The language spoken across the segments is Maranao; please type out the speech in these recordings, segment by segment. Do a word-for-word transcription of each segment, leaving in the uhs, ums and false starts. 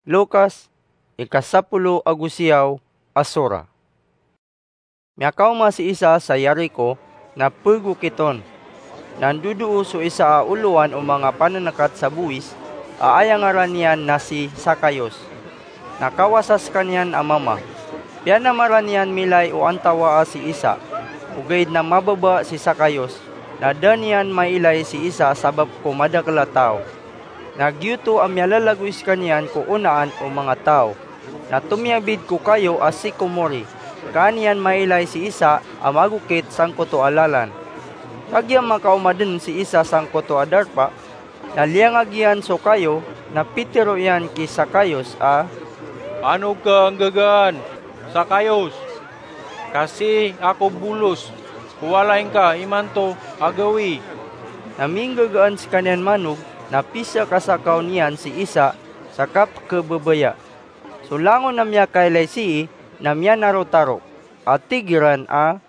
Lukas, ika sapolo ago siyaw a sura. Miyakaoma si Isa sa Jericho na pegokit on. Na ndodoo so isa a olowan o manga panenengat sa bowis a aya ngaran iyan na si Zacchaeus. Na kawasa sekaniyan a mama. Piyanamaran iyan milay o antawaa si Isa. Ogaid na mababa si Zacchaeus, na da niyan mailay si Isa sabap ko madakel a taw. Na giyoto a miyalalagoy sekaniyan ko onaan o manga taw. Na tomiyabid ko kayo a sikomori, ka an iyan mailay si Isa a magokit sangkoto a lalan. Kagiya makaoma den si Isa sangkoto a darpa, na liyangag iyan so kayo, na pitero iyan ki Zacchaeus a, "Panog ka nggagaan, Zacchaeus, ka sii ako bolos ko walay ngka imanto a gawii." Na minggagaan sekaniyan manog, na pisakasakaw niyan si Isa sa kapekebebaya. So langon a miyakailay sii na miyanarotaro, a tig iran a,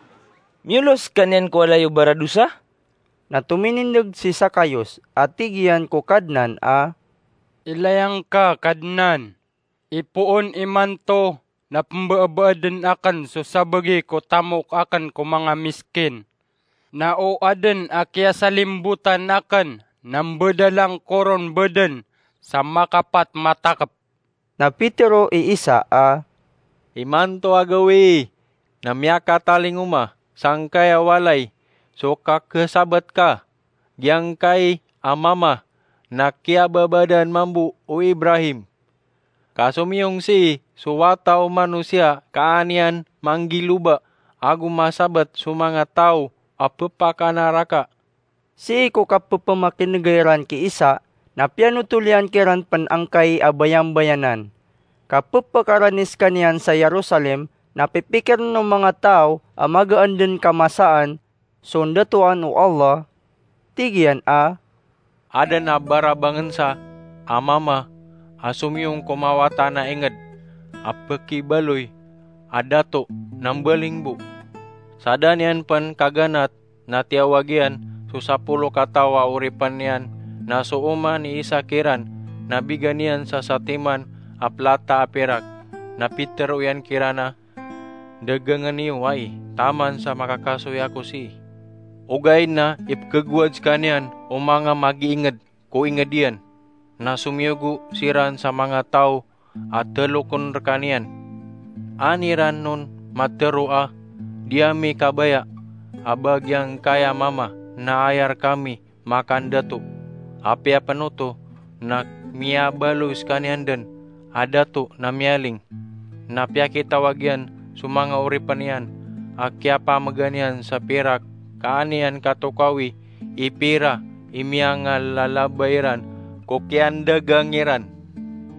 "Miyolos ka niyan ko walay o baradosa?" Na tominindeg si Zacchaeus, a tig iyan ko Kadnan a, "Ilaya ngka, Kadnan, ipoon imanto na pembeebeen aken so sabagi ko tamok aken ko manga miskin. Na o aden a kiyasalimbotan aken na mbedal angkoron beden sa makapat matakep." Na pitero i Isa a, "Imanto a gawii na miyakatalingoma sangkaya walay so kakesabat ka, giyangkai a mama na kiyababadan mambo o Ibrahim. Ka somiyong sii so Wata o Manosiya ka an iyan manggiloba ago masabat so manga taw a pepakanaraka." Sii ko kapepemakinega iran ki Isa, na piyanotol iyan kiran pen angkai a bayambayanan. Ka pepekarani sekaniyan sa Jerusalem, na pipikiren o manga taw a magaan den kamasaan so ndatoan o Allah. Tig iyan a, "Aden a barabangensa a mama a somiyong ko mawatan a inged a pekibaloy a dato na mbalingbo. Sa da niyan pen kaganat na tiyawag iyan so sapolo kataw a oripen iyan, na so oman i isa kiran na bigan iyan sa satiman a plata a pirak. Na pitero iyan kiran a, 'Dagangen iyo ai taman sa makakasoy ako sii.' Ogaid na ipekegowad sekaniyan o manga magiinged ko inged iyan, na somiyogo siran sa manga taw a teloken rekaniyan. An iran on matero a, 'Di ami kabaya a ba giyangkaya mama na aya rekami makandato.' Apiya pen oto na miyabaloy sekaniyan den a dato na miyaling. Na piyakitawag iyan so manga oripen iyan a kiyapamegan iyan sa pirak ka an iyan katokawi i pira i miyangalalaba iran ko kiyandagang iran.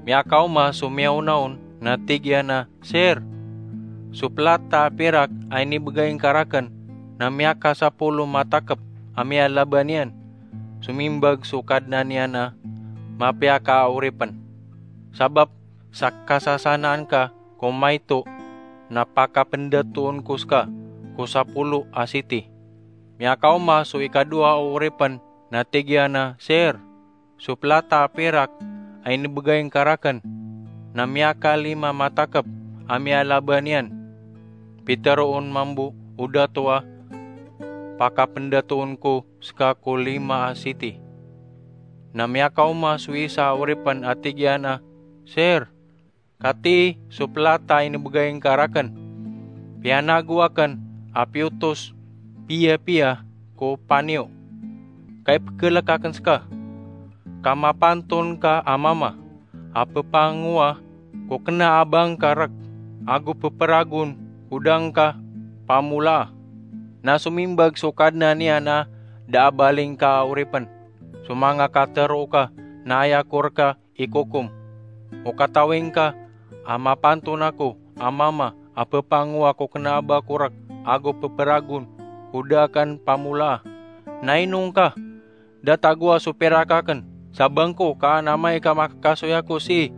Miyakaoma so miyaona on na tig iyan a, 'Sir, so plata a pirak a inibegay ngka raken na miyakasapolo matakep a miyalaba niyan.' Somimbag so kadnan iyan a, 'Mapiya ka a oripen. Sabap sa kasasanaan ka ko maito na pakapendatoon ko seka ko sapolo a siti.' Miyakaoma so ikadowa a oripen na tig iyan a, 'Sir, so plata a pirak a inibegay ngka raken na miyakalima matakep a miyalaba niyan.' Pitero on mambo o dato a, 'Pakapendatoon ko seka ko lima a siti.' Na miyakaoma so isa a oripen a tig iyan a, 'Sir, katii so plata a inibegay ngka raken. Piyanago aken a piyotos piyapiya ko paniyo. Ka ipekelek aken seka. Ka mapanton ka a mama a pepangowa ko kena a ba ngka rek ago peperagon ko da ngka pamolaa.' Na somimbag so kadnan iyan a, 'Da a baling ka a oripen. So manga katero ka na aya ko reka ikokom. O katawi ngka a mapanton ako a mama a pepangowa ko kena a ba ko rek ago peperagon ko da aken pamolaa. Na ino ngka? Da tagoa so pirak aken sa bangko ka an amay ka makakasoy ako sii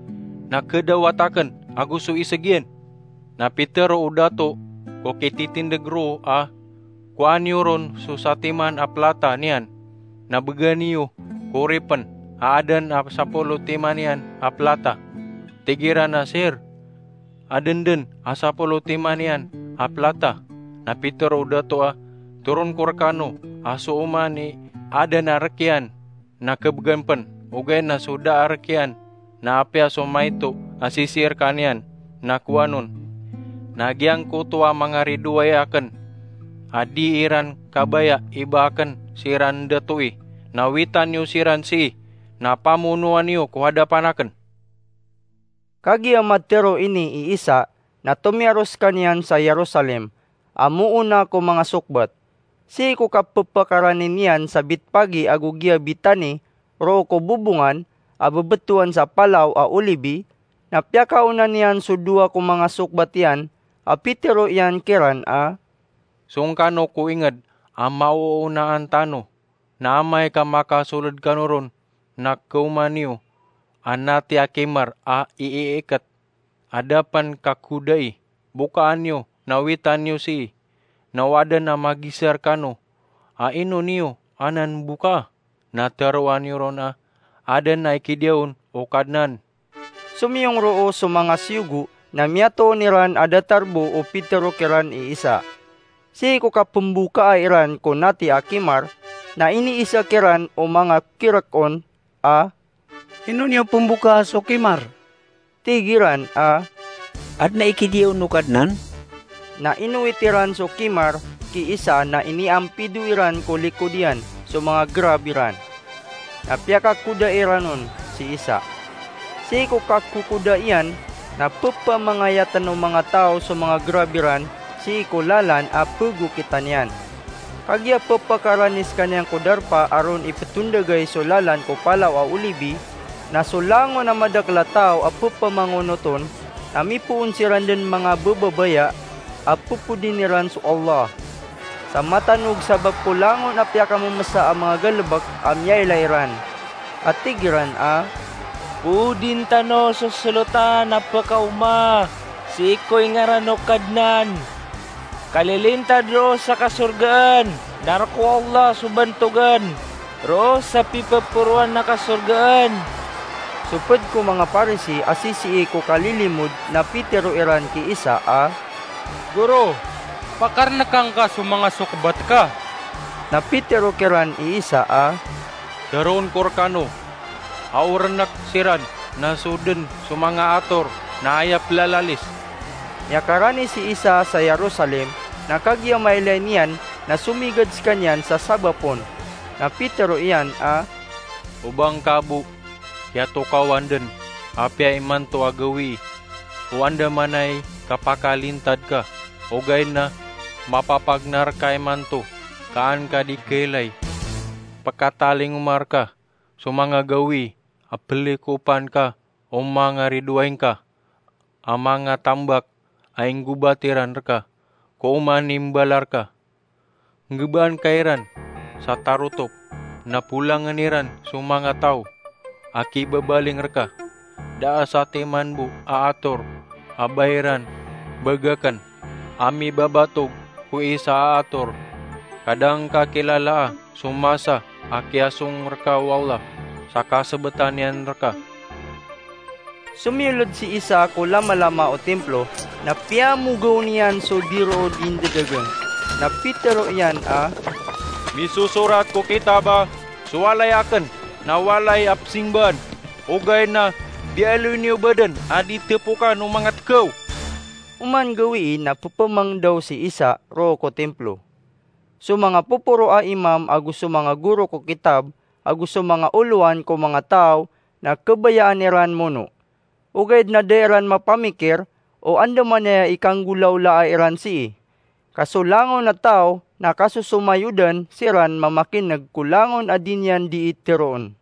na kedawat aken ago so iseg iyan.' Na pitero o dato ko kititindeg roo a, 'Kowa niyo ron so satiman a plata niyan, na began iyo ko oripen a aden a sapolo timan iyan a plata.' Tig iran a, "Sir, aden den a sapolo timan iyan a plata." Na pitero o dato a, "Toron ko rekano a so oman i aden a rek iyan na kebegan pen, ogaid na so da a rek iyan na apiya so maito a sisii rekaniyan na kowan on. Na giyangkoto a mangaridoay aken a di iran kabaya i ba aken siran datoi, na witan iyo siran sii, na pamonoan iyo ko hadapan aken." Kagiya matero ini i Isa, na tomiyaro sekaniyan sa Jerusalem, a moona ko manga sokbat. Sii ko kapepakarani niyan sa Bitpagi ago giya Bitani, roo ko bobongan a bebetowan sa Palaw a Olibi, na piyakaona niyan so dowa ko manga sokbat iyan, a pitero iyan kiran a, "Song kano ko inged a maoonaan tano, na amay ka makasoled kano ron, na kaoma niyo a nati a kimar a iiiket a da pen kakodai, bokaan iyo na witan iyo sii, na o aden a magizar kano a ino niyo anan bokaa, na teroa niyo ron a aden a ikidiya on o Kadnan." Somiyong roo so manga siyogo, na miyatoon iran a datar bo o pitero kiran i Isa. Sii ko kapembokaa iran ko nati a kimar, na iniisa kiran o manga kirek on a, "Ino niyo pembokaa so kimar?" Tig iran a, "Aden a ikidiya on o Kadnan." Na inowit iran so kimar ki Isa, na iniampido iran ko likod iyan so manga gerab iran. Na piyakakoda iran on si Isa. Sii ko kakokoda iyan, na pepamangayaten o manga taw so manga gerab iran sii ko lalan a pegokitan iyan. Kagiya pepakarani sekaniyan ko darpa a ron ipetondagay so lalan ko Palaw a Olibi, na so langon a madakel a taw a pepamangonot on, na mipoon siran den manga bebabaya a pepodin iran so Allah. Sa matanog sabap ko langon a piyakamemesa a manga galebek a miyailay iran, a tig iran a, "Podin tano so solotan a pekaoma sii ko ingaran o Kadnan. Kalilintad roo sa kasorgaan, na rek o Allah so bantogan roo sa pipeporoan a kasorgaan." So ped ko manga Parisi a sisii ko kalilimod, na pitero iran ki Isa a, "Goro, pakarnekangka so manga sokbat ka." Na pitero kiran i Isa a, "Teroon ko rekano a o renek siran na so den so manga ator na aya pelalalis." Miyakarani si Isa sa Jerusalem, na kagiya mailay niyan na somigad sekaniyan sa sabap on. Na pitero iyan a, "O ba ngka bo kiyatokawan den, apiya imanto a gawii, o andamanaya i kapakalintad ka, ogaid na mapapagnar ka imanto ka an ka di kailay? Pekatalingoma reka so manga gawii a pelikopan ka o manga ridoay ngka a manga tambak a inggobat iran reka ko oman i mbala reka. Nggebaan ka iran sa tarotop, na polangen iran so manga taw a kibabaling reka. Da a satiman bo a ator a ba iran bagaken a mibabatog ko isa a ator. Ka da ngka kilalaa so masa a kiyasong reka o Allah sa kasebetan iyan reka." Somiyolod si Isa ko lamalama o timplo, na piyamogaw niyan so dirood i ndadagang. Na pitero iyan a, "Misosorat ko kitab a so walay aken na walay a pesingbaan, ogaid na bialoy niyo baden a di tepokan o manga tkaw." Oman gawii na pepemangdaw si Isa roo ko timplo. So manga poporo a imam ago so manga goro ko kitab ago so manga olowan ko manga taw na kabayaan iran mono. Ogaid na da iran mapamikir o andamanaya i kanggolaolaa iran sii. Ka so langon a taw na kasosomayodan siran mamakineg ko langon a di niyan dii teroon.